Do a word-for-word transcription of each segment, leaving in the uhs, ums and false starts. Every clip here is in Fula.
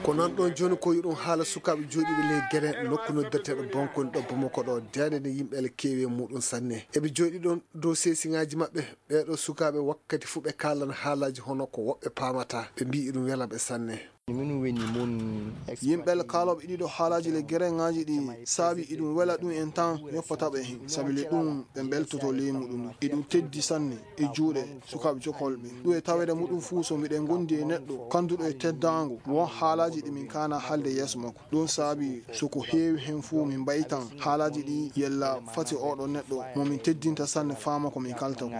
Ko nan ɗon jooni ko yiɗum haala sukaaɓe jooɗiiɓe ley gere nokku noddirteeɗo Bankoni ɗo Bamako ɗo, deende nde yimɓe ala keewi e muɗum sanne. Eɓe jooɗi ɗon dow seesiŋaaji maɓɓe. Ɓee ɗoo sukaaɓe wakkati fuu ɓe kaalan haalaaji hono ko woɓɓe paamataa. Ɓe mbi'i iɗum wela ɓe sanne. Yimɓe kaalooɓe ɗii ɗoo haalaaji ley gereŋaaji ɗi saabi iɗum wela ɗum en tan yoppata ɓe heen. Sabi le ɗum ɓe mbeltoto ley muɗum. Iɗum teddi sanne e juuɗe sukaaɓe jokolɓe. Ɗum e taweede muɗum fuu so miɗen ngondi e neɗɗo kannduɗo e teddaango, won haalaaji ɗi min kaana haalde yeeso makko. Ɗum saabi so ko heewi heen fuu min mbaytan haalaaji ɗi yella fati oɗo neɗɗo mo min teddinta sanne faama ko min kalta ko.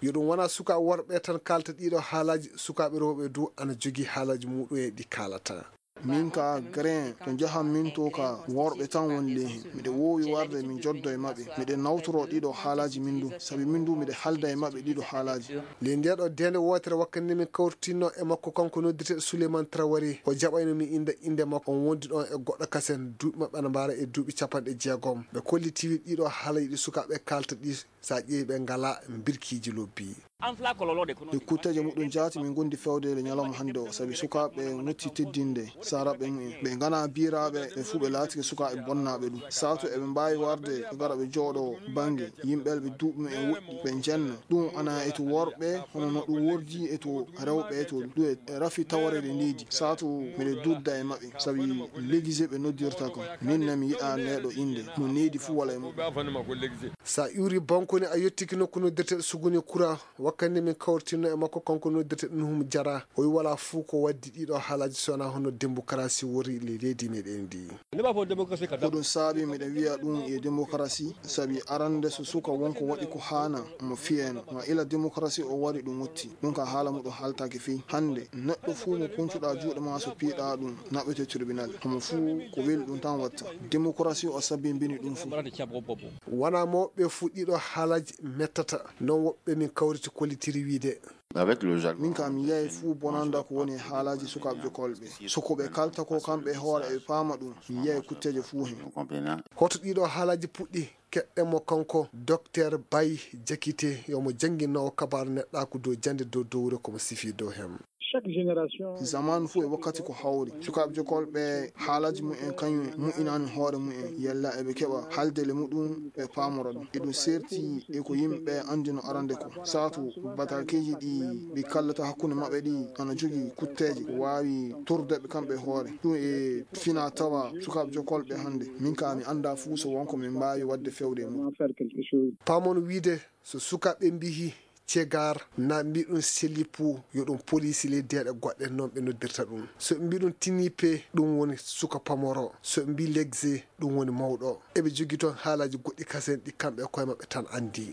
Yo ɗum wona sukaaɓe worɓe tan kaalta ɗii ɗoo haalaaji, sukaaɓe rewɓe du ana jogii haalaaji muɗum e ɗi kaalata. Min ka gere to njahan min to ka worɓe tan woni ley heen. Miɗo woowi warde min joddo e maɓɓe. Miɗo nawtoro ɗii ɗoo haalaaji min du, sabi min du miɗo haalda e maɓɓe ɗii ɗoo haalaaji. Ley ndee ɗoo deende wootere wakkati nde min kawritinno e makko kanko noddirteeɗo Suleyman Traoré, o jaɓayno min innda innde makko. On wondi ɗon e goɗɗo kasen, duuɓi maɓɓe ana mbaara e duuɓi capanɗe jeegom. Ɓe kolliti wi ɗii ɗoo haalaaji ɗi sukaaɓe kaalta ɗi, so a ƴeewi ɓe ngalaa mbirkiiji lobbi. E kutteeje muɗum jaati min ngondi feewde le ñalawma hannde o, sabi sukaaɓe ngotti teddinde saaraɓe mumen. Ɓe nganaa biiraaɓe, ɓe fuu ɓe laatike sukaaɓe bonnaaɓe ɗum. Saatu eɓe mbaawi warde ɓe ngara ɓe jooɗoo bannge yimɓe ɓe duuɓi mumen woɗɗi, ɓe njenna. Ɗum ana e to worɓe, hono no ɗum wordi e to rewɓe, to ɗum e rafi tawareede leydi. Saatu miɗo dudda e maɓɓe, sabi Légizé ɓe noddirta kam. Min ne mi yiɗaa nde ɗoo innde, mo needi fuu wala e muɗum. So a iwri Bankoni, a yottike nokku noddirteeɗo Suguni Kura, wakkati nde min kawritinno e makko, kanko noddirteeɗo Nuhum Jara, o wi walaa fuu ko waddi ɗii ɗoo haalaaji so wonaa hono demokarasi wori ley leydi meɗen ndi. Ko ɗum saabi miɗo wiya ɗum e demokarasi, sabi arande so suka won ko waɗi ko haana, mo fiyeno. Ma ila demokarasi o wari ɗum wotti. Ɗum ka haala muɗum haaltaake fii. Hannde, neɗɗo fuu mo kuncuɗaa juuɗe maa so piiɗaa ɗum, naɓete tribunal. Homo fuu ko weli ɗum tan watta. Demokarasi o sabbimbini ɗum fuu. Wonaa mawɓe fuu ɗii ɗoo haalaaji mettata. Non woɓɓe min kawriti kollitiri wiide. Min ka mi yiyay fuu bonanda ko woni e haalaaji sukaaɓe jokolɓe. So ko ɓe kalta ko kamɓe e hoore eɓe paama ɗum, mi yiyay kutteeje fuu heen. Hoto ɗii ɗoo haalaaji puɗɗi? Keɗɗen mo kanko Dokteer Bay Jakite, yo mo jannginoowo kabaaru neɗɗaaku dow jannde dow dowre ko mo sifii dow heen. Zamaanu fuu e wakkati ko hawri. Sukaaɓe jokolɓe haalaaji mumen kañum mu'inaani hoore mumen. Yalla eɓe keɓa haalde le muɗum ɓe paamora ɗum. Eɗum seerti e ko yimɓe anndino arande ko. Saatu bataakeeji ɗi ɓe kallata hakkunde maɓɓe ɗi ana jogii kutteeje ko waawi torde ɓe kamɓe hoore. Ɗum e fina tawa sukaaɓe jokolɓe hannde. Min ka mi anndaa fuu so won ko min mbaawi waɗde feewde e muɗum. Paamon wiide so sukaaɓe mbiyi cegar na mbiɗum selipu yo ɗum polisi ley deeɗe goɗɗe noon ɓe noddirta ɗum. So ɓe mbiɗum tinipe ɗum woni suka pamoro. So ɓe mbi legze ɗum woni mawɗo. Eɓe jogii toon haalaaji goɗɗi kasen ɗi kamɓe e koye maɓɓe tan anndi.